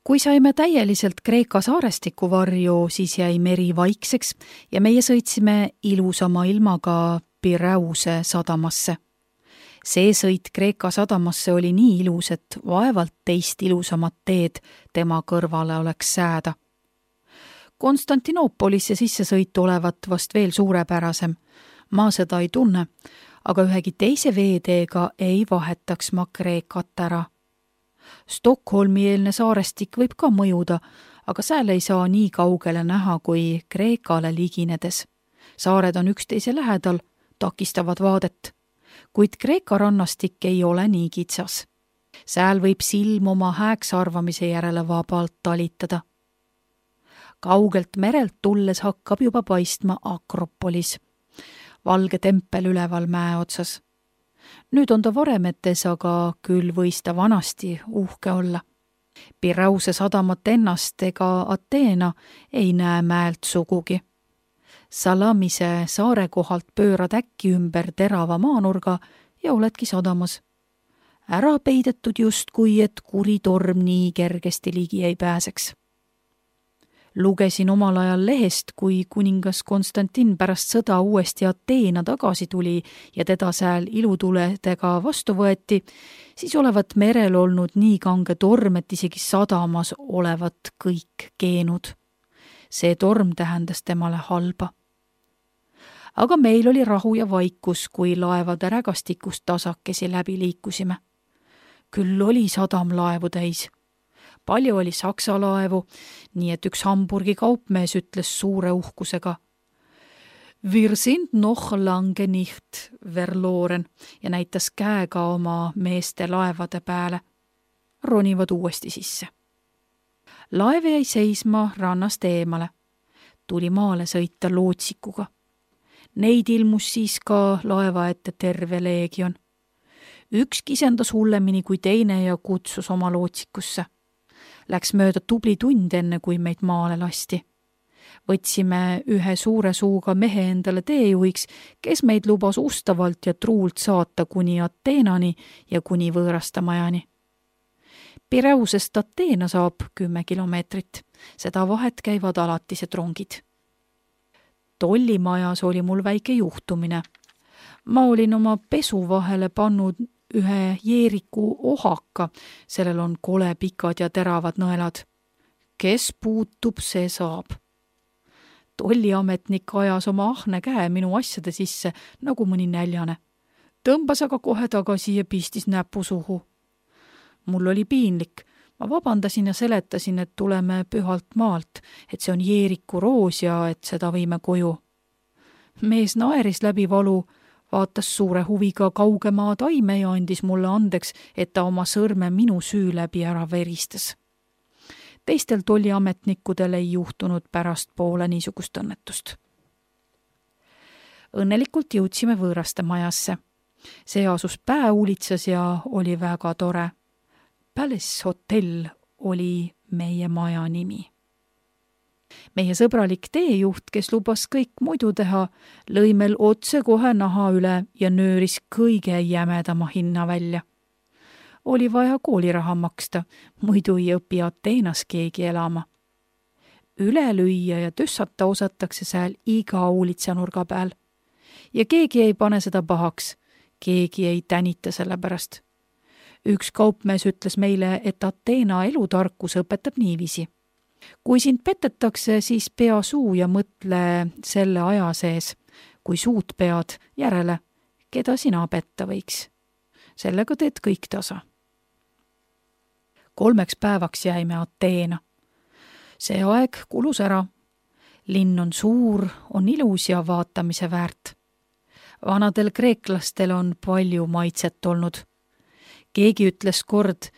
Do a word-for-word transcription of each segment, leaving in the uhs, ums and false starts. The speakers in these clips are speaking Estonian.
Kui saime täieliselt Kreeka saarestiku varju, siis jäi meri vaikseks ja meie sõitsime ilusama ilmaga Piräuse sadamasse. See sõit Kreeka sadamasse oli nii ilus, et vaevalt teist ilusamat teed tema kõrvale oleks sääda. Konstantinoopolisse sissesõitu olevat vast veel suurepärasem. Ma seda ei tunne, aga ühegi teise veeteega ei vahetaks ma Kreekat ära. Stockholmi-eelne saarestik võib ka mõjuda, aga seal ei saa nii kaugele näha kui Kreekale liginedes. Saared on üksteise lähedal, takistavad vaadet, kuid Kreeka rannastik ei ole nii kitsas. Seal võib silm oma hääks arvamise järele vabalt talitada. Kaugelt merelt tulles hakkab juba paistma Akropolis, valge tempel üleval mäe otsas. Nüüd on ta varemetes, aga küll võis ta vanasti uhke olla. Piräuse sadamat ennast ega Ateena ei näe mäelt sugugi. Salamise saare kohalt pöörad äkki ümber terava maanurga ja oledki sadamas. Ära peidetud justkui, et kuri torm nii kergesti ligi ei pääseks. Lugesin omal ajal lehest, kui kuningas Konstantin pärast sõda uuesti Ateena tagasi tuli ja teda seal ilutuledega vastu võeti, siis olevat merel olnud nii kange torm, et isegi sadamas olevat kõik keenud. See torm tähendas temale halba. Aga meil oli rahu ja vaikus, kui laevade rägastikust tasakesi läbi liikusime. Küll oli sadam laevu täis. Palju oli saksa laevu, nii et üks Hamburgi kaupmees ütles suure uhkusega Wir sind noch lange nicht verloren ja näitas käega oma meeste laevade peale. Ronivad uuesti sisse. Laev jäi seisma rannast eemale. Tuli maale sõita lootsikuga. Neid ilmus siis ka laeva ette terve leegion. Üks kisendas hullemini kui teine ja kutsus oma lootsikusse. Läks mööda tubli tund enne, kui meid maale lasti. Võtsime ühe suure suuga mehe endale teejuhiks, kes meid lubas ustavalt ja truult saata kuni Ateenani ja kuni võõrastamajani. Piräusest Ateena saab kümme kilomeetrit. Seda vahet käivad alatised rongid. Tollimajas oli mul väike juhtumine. Ma olin oma pesu vahele pannud ühe jeeriku ohaka, sellel on kole pikad ja teravad nõelad. Kes puutub, see saab. Tolliametnik ajas oma ahne käe minu asjade sisse, nagu mõni näljane. Tõmbas aga kohe tagasi ja pistis näpu suhu. Mul oli piinlik. Ma vabandasin ja seletasin, et tuleme pühalt maalt, et see on jeeriku roos ja et seda võime koju. Mees naeris läbi valu, vaatas suure huviga kaugemaa taime ja andis mulle andeks, et ta oma sõrme minu süü läbi ära veristas. Teistel tolliametnikudel ei juhtunud pärast poole niisugust õnnetust. Õnnelikult jõudsime võõraste majasse. See asus pääuulitsas ja oli väga tore. Palace Hotel oli meie maja nimi. Meie sõbralik teejuht, kes lubas kõik muidu teha, lõi meil otse kohe naha üle ja nööris kõige jämedama hinna välja. Oli vaja kooliraha maksta, muidu ei õpi Ateenas keegi elama. Üle lüüa ja tüssata osatakse seal iga uulitsanurga peal. Ja keegi ei pane seda pahaks, keegi ei tänita selle pärast. Üks kaupmees ütles meile, et Ateena elutarkus õpetab niiviisi. Kui sind petetakse, siis pea suu ja mõtle selle aja sees, kui suud pead järele, keda sina petta võiks. Sellega teed kõik tasa. Kolmeks päevaks jäime Ateena. See aeg kulus ära. Linn on suur, on ilus ja vaatamise väärt. Vanadel kreeklastel on palju maitset olnud. Keegi ütles kord,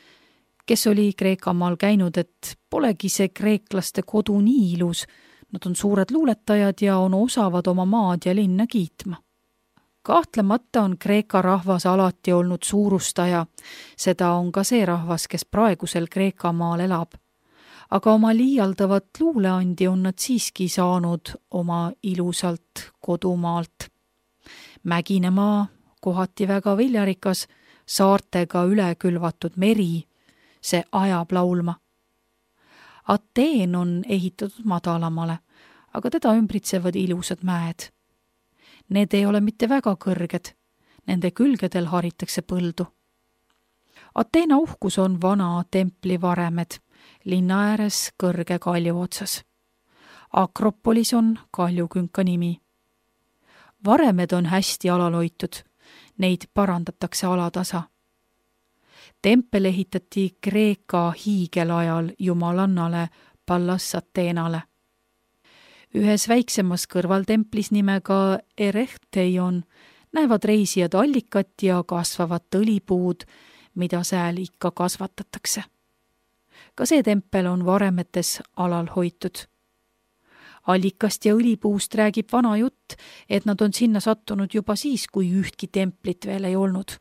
kes oli Kreekamaal käinud, et polegi see kreeklaste kodu nii ilus. Nad on suured luuletajad ja on osavad oma maad ja linna kiitma. Kahtlemata on Kreeka rahvas alati olnud suurustaja. Seda on ka see rahvas, kes praegusel Kreekamaal elab. Aga oma liialdavat luuleandi on nad siiski saanud oma ilusalt kodumaalt. Mägine maa, kohati väga viljarikas, saartega üle külvatud meri, see ajab laulma. Ateen on ehitatud madalamale, aga teda ümbritsevad ilusad mäed. Need ei ole mitte väga kõrged, nende külgedel haritakse põldu. Ateena uhkus on vana templi varemed, linna ääres kõrge kalju otsas. Akropolis on kaljukünka nimi. Varemed on hästi alalhoitud, neid parandatakse alatasa. Tempel ehitati Kreeka hiigelajal jumalannale Pallas Ateenale. Ühes väiksemas kõrvaltemplis nimega Erechteion näevad reisijad allikat ja kasvavad õlipuud, mida sääl ikka kasvatatakse. Ka see tempel on varemetes alal hoitud. Allikast ja õlipuust räägib vana jutt, et nad on sinna sattunud juba siis, kui ühtki templit veel ei olnud.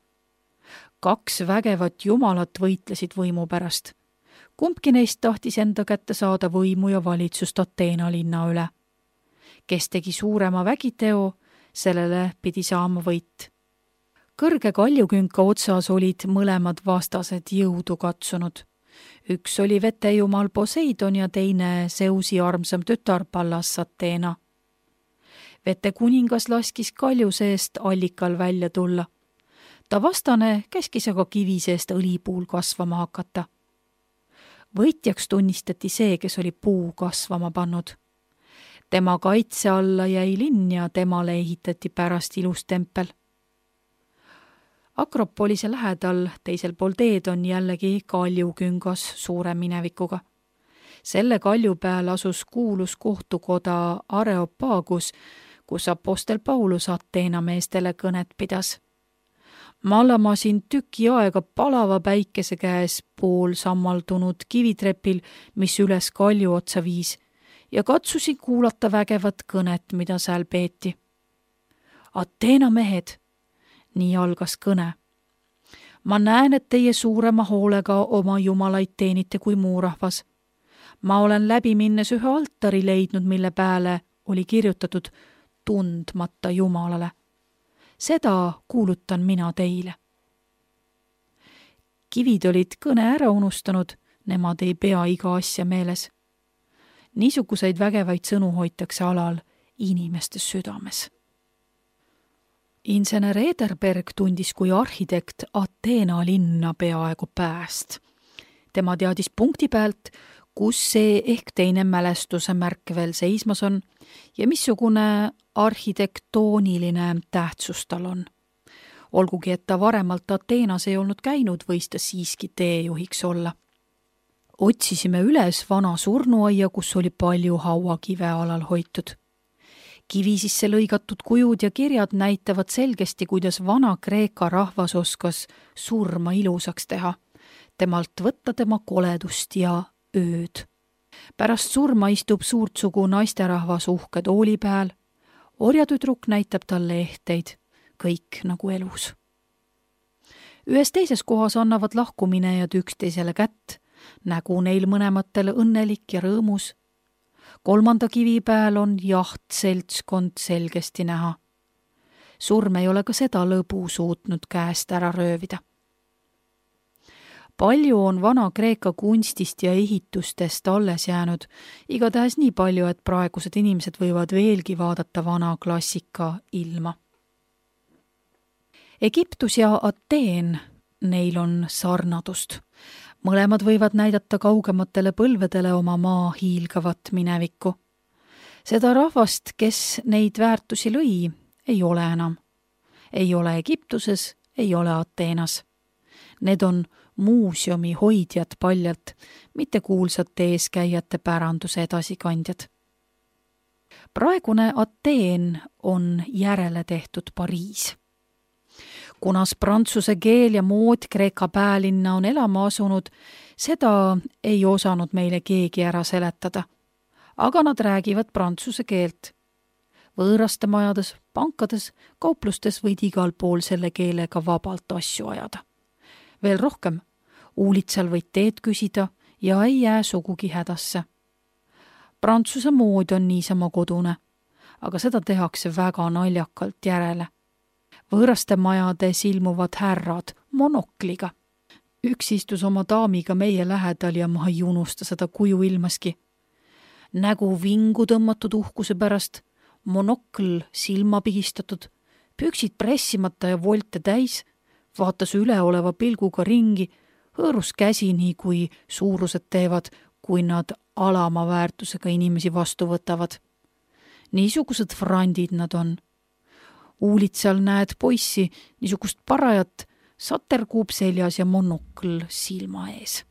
Kaks vägevat jumalat võitlesid võimu pärast. Kumbki neist tahtis enda kätte saada võimu ja valitsust Ateena linna üle. Kes tegi suurema vägiteo, sellele pidi saama võit. Kõrge kaljukünka otsas olid mõlemad vastased jõudu katsunud. Üks oli vetejumal Poseidon ja teine Zeusi armsam tütar Pallas Ateena. Vete kuningas laskis kalju seest allikal välja tulla. Ta vastane käskis aga kivi seest õlipuul kasvama hakata. Võitjaks tunnistati see, kes oli puu kasvama pannud. Tema kaitse alla jäi linn ja temale ehitati pärast ilus tempel. Akropolise lähedal teisel pool teed on jällegi kaljuküngas suure minevikuga. Selle kalju peal asus kuulus kohtukoda Areopagus, kus apostel Paulus Ateena meestele kõnet pidas. Ma lamasin tüki aega palava päikese käes pool sammaldunud kivitrepil, mis üles kalju otsa viis, ja katsusin kuulata vägevat kõnet, mida seal peeti. Ateena mehed, nii algas kõne. Ma näen, et teie suurema hoolega oma jumalaid teenite kui muurahvas. Ma olen läbi minnes ühe altari leidnud, mille pääle oli kirjutatud tundmata jumalale. Seda kuulutan mina teile. Kivid olid kõne ära unustanud, nemad ei pea iga asja meeles. Niisuguseid vägevaid sõnu hoitakse alal inimeste südames. Insener Ederberg tundis kui arhitekt Ateena linna peaaegu pääst. Tema teadis punkti pealt, kus see ehk teine mälestuse märk veel seismas on ja missugune arhitektooniline tähtsus tal on. Olgugi, et ta varemalt Ateenas ei olnud käinud, võis ta siiski teejuhiks olla. Otsisime üles vana surnuaia, kus oli palju hauakive alal hoitud. Kivi sisse lõigatud kujud ja kirjad näitavad selgesti, kuidas vana Kreeka rahvas oskas surma ilusaks teha, temalt võtta tema koledust ja ööd. Pärast surma istub suurtsugu naisterahvas uhke tooli peal, orjatüdruk näitab talle ehteid, kõik nagu elus. Ühes teises kohas annavad lahkuminejad üksteisele kätt, nägu neil mõnematele õnnelik ja rõõmus. Kolmanda kivi peal on jaht seltskond selgesti näha. Surm ei ole ka seda lõbu suutnud käest ära röövida. Palju on vana Kreeka kunstist ja ehitustest alles jäänud, igatahes nii palju, et praegused inimesed võivad veelgi vaadata vana klassika ilma. Egiptus ja Ateen, neil on sarnadust. Mõlemad võivad näidata kaugematele põlvedele oma maa hiilgavat minevikku. Seda rahvast, kes neid väärtusi lõi, ei ole enam. Ei ole Egiptuses, ei ole Ateenas. Need on muuseumi hoidjad paljalt, mitte kuulsate eeskäijate päranduse edasikandjad. Praegune Ateen on järele tehtud Pariis. Kunas prantsuse keel ja mood Kreeka päälinna on elama asunud, seda ei osanud meile keegi ära seletada. Aga nad räägivad prantsuse keelt. Võõraste majades, pankades, kauplustes võid igal pool selle keelega vabalt asju ajada. Veel rohkem, uulitsal võid teed küsida ja ei jää sugugi hädasse. Prantsuse mood on niisama kodune, aga seda tehakse väga naljakalt järele. Võõraste majades ilmuvad härrad monokliga. Üks istus oma daamiga meie lähedal ja ma ei unusta seda kuju ilmaski. Nägu vingu tõmmatud uhkuse pärast, monokl silma pigistatud, püksid pressimata ja volte täis, vaatas üleoleva pilguga ringi, hõõrus käsi nii kui suurused teevad, kui nad alama väärtusega inimesi vastu võtavad. Niisugused frandid nad on. Uulitsal näed poissi, niisugust parajat, saterkuub seljas ja monokl silma ees.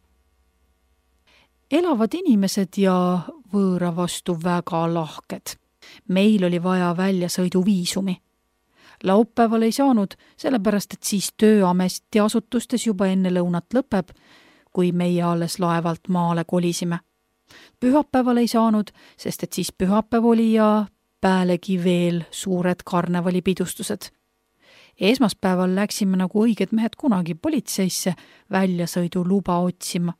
Elavad inimesed ja võõra vastu väga lahked. Meil oli vaja väljasõiduviisumi. Laupäeval ei saanud, sellepärast et siis tööameti asutustes juba enne lõunat lõpeb, kui meie alles laevalt maale kolisime. Pühapäeval ei saanud, sest et siis pühapäev oli ja päälegi veel suured karnevalipidustused. Esmaspäeval läksime nagu õiged mehed kunagi politseisse väljasõidu luba otsima.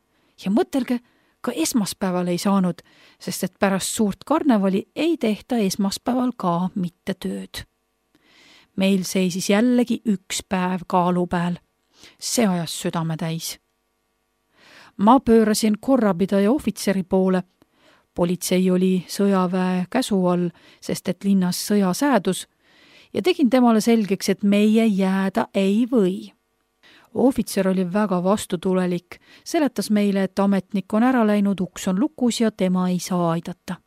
Ja mõtelge, ka esmaspäeval ei saanud, sest et pärast suurt karnevali ei tehta esmaspäeval ka mitte tööd. Meil seisis jällegi üks päev kaalu peal. See ajas südame täis. Ma pöörasin korrapidaja ohvitseri poole. Politsei oli sõjaväe käsu all, sest et linnas sõja säädus, ja tegin temale selgeks, et meie jääda ei või. Ohvitser oli väga vastutulelik, seletas meile, et ametnik on ära läinud, uks on lukus ja tema ei saa aidata.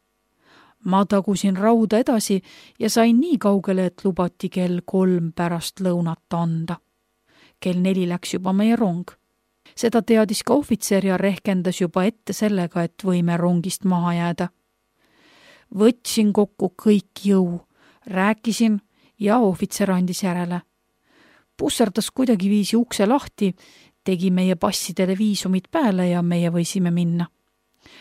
Ma tagusin rauda edasi ja sain nii kaugele, et lubati kell kolm pärast lõunat anda. Kell neli läks juba meie rong. Seda teadis ka ohvitser ja rehkendas juba ette sellega, et võime rongist maha jääda. Võtsin kokku kõik jõu, rääkisin ja ohvitser andis järele. Pusserdas kuidagi viisi ukse lahti, tegi meie passidele viisumid pääle ja meie võisime minna.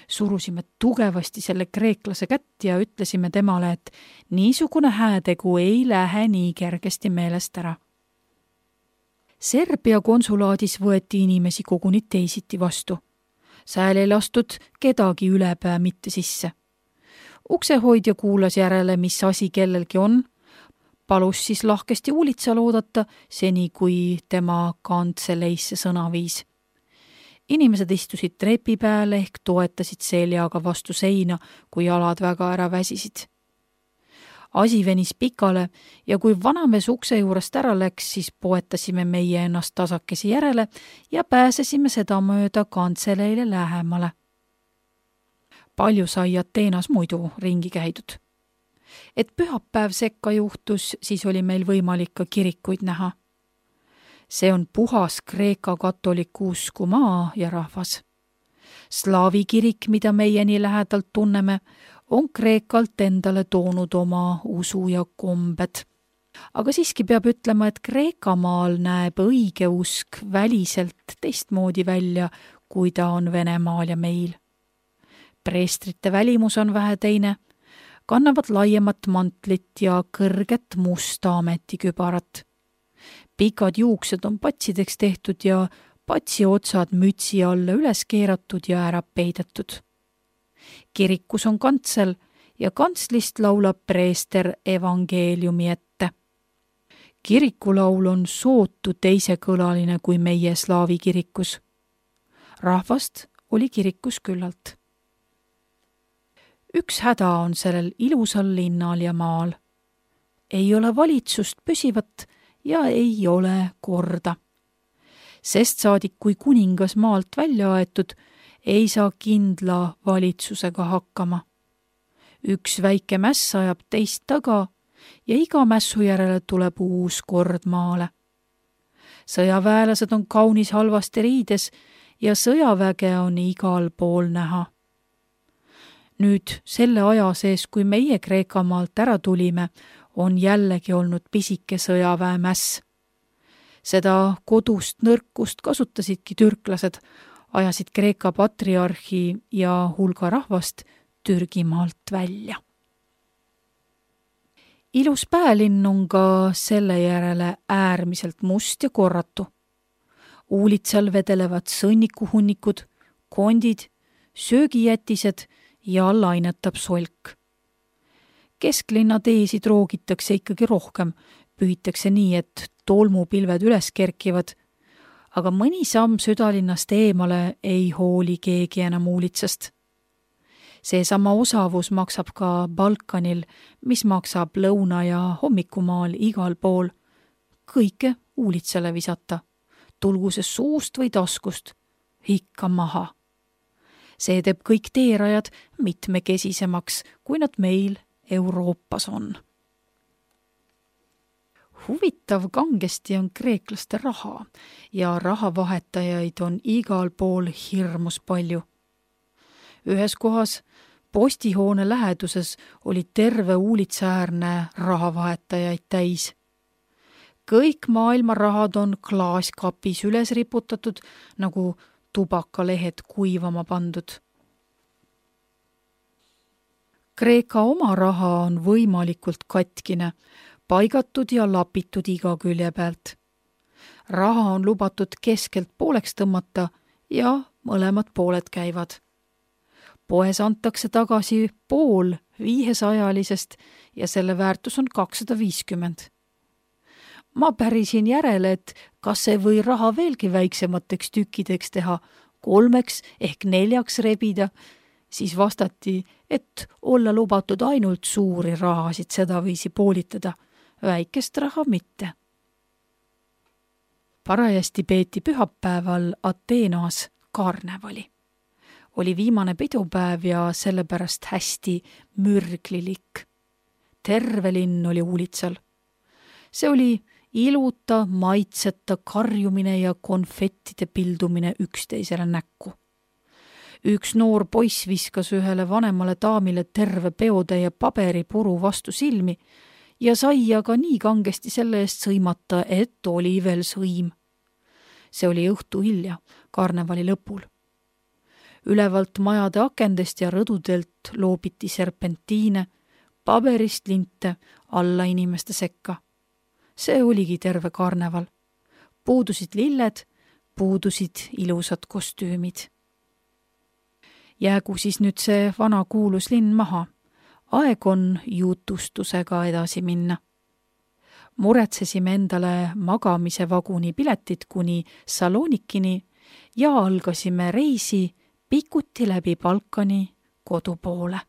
Surusime tugevasti selle kreeklase kätt ja ütlesime temale, et niisugune häätegu ei lähe nii kergesti meelest ära. Serbia konsulaadis võeti inimesi koguni teisiti vastu. Sääl ei lastud kedagi ülepää mitte sisse. Uksehoidja kuulas järele, mis asi kellelgi on, palus siis lahkesti uulitsal oodata, seni kui tema kantseleisse sõna viis. Inimesed istusid trepi peale ehk toetasid seljaga vastu seina, kui jalad väga ära väsisid. Asi venis pikale ja kui vanamees ukse juurest ära läks, siis poetasime meie ennast tasakesi järele ja pääsesime seda mööda kantseleile lähemale. Palju sai Ateenas muidu ringi käidud. Et pühapäev sekka juhtus, siis oli meil võimalik ka kirikuid näha. See on puhas Kreeka katoliku usku maa ja rahvas. Slaavi kirik, mida meie nii lähedalt tunneme, on Kreekalt endale toonud oma usu ja kombed. Aga siiski peab ütlema, et Kreekamaal näeb õige usk väliselt teistmoodi välja, kui ta on Venemaal ja meil. Preestrite välimus on vähe teine, kannavad laiemat mantlit ja kõrget musta ametikübarat. Pikad juuksed on patsideks tehtud ja patsi otsad mütsi alla üles keeratud ja ära peidetud. Kirikus on kantsel ja kantslist laulab preester evangeeliumi ette. Kirikulaul on sootu teisekõlaline kui meie slaavi kirikus. Rahvast oli kirikus küllalt. Üks häda on sellel ilusal linnal ja maal. Ei ole valitsust püsivat ja ei ole korda. Sest saadik, kui kuningas maalt välja aetud, ei saa kindla valitsusega hakkama. Üks väike mäss ajab teist taga ja iga mässu järele tuleb uus kord maale. Sõjaväelased on kaunis halvasti riides ja sõjaväge on igal pool näha. Nüüd selle aja sees, kui meie Kreekamaalt ära tulime, on jällegi olnud pisike sõjaväemäss. Seda kodust nõrkust kasutasidki türklased, ajasid Kreeka patriarhi ja hulga rahvast Türgimaalt välja. Ilus päälinn on ka selle järele äärmiselt must ja korratu. Uulitsal vedelevad sõnnikuhunnikud, kondid, söögijätised ja lainetab solk. Kesklinna teesid roogitakse ikkagi rohkem, pühitakse nii, et tolmupilved üles kerkivad, aga mõni samm südalinnast eemale ei hooli keegi enam uulitsast. Seesama osavus maksab ka Balkanil, mis maksab lõuna- ja hommikumaal igal pool. Kõike uulitsale visata, tulgu see suust või taskust, ikka maha. See teeb kõik teerajad mitmekesisemaks, kui nad meil Euroopas on. Huvitav kangesti on kreeklaste raha ja rahavahetajaid on igal pool hirmus palju. Ühes kohas postihoone läheduses oli terve uulitsaäärne rahavahetajaid täis. Kõik maailma rahad on klaaskapis üles riputatud, nagu tubakalehed kuivama pandud. Kreeka oma raha on võimalikult katkine, paigatud ja lapitud iga külje pealt. Raha on lubatud keskelt pooleks tõmmata ja mõlemad pooled käivad. Poes antakse tagasi pool viiesajalisest ja selle väärtus on kakssada viiskümmend. Ma pärisin järele, et kas ei või raha veelgi väiksemateks tükkideks teha, kolmeks ehk neljaks rebida, siis vastati, et olla lubatud ainult suuri rahasid sedaviisi poolitada, väikest raha mitte. Parajasti peeti pühapäeval Ateenas karnevali. Oli viimane pidupäev ja sellepärast hästi mürglilik. Terve linn oli uulitsal. See oli iluta, maitseta karjumine ja konfettide pildumine üksteisele näkku. Üks noor poiss viskas ühele vanemale daamile terve peotäie paberipuru vastu silmi ja sai aga nii kangesti selle eest sõimata, et oli veel sõim. See oli õhtu hilja, karnevali lõpul. Ülevalt majade akendest ja rõdudelt loobiti serpentiine, paberist linte alla inimeste sekka. See oligi terve karneval. Puudusid lilled, puudusid ilusad kostüümid. Jäägu siis nüüd see vana kuulus linn maha. Aeg on jutustusega edasi minna. Muretsesime endale magamise vaguni piletid kuni Salonikini ja algasime reisi pikuti läbi Balkani kodu poole.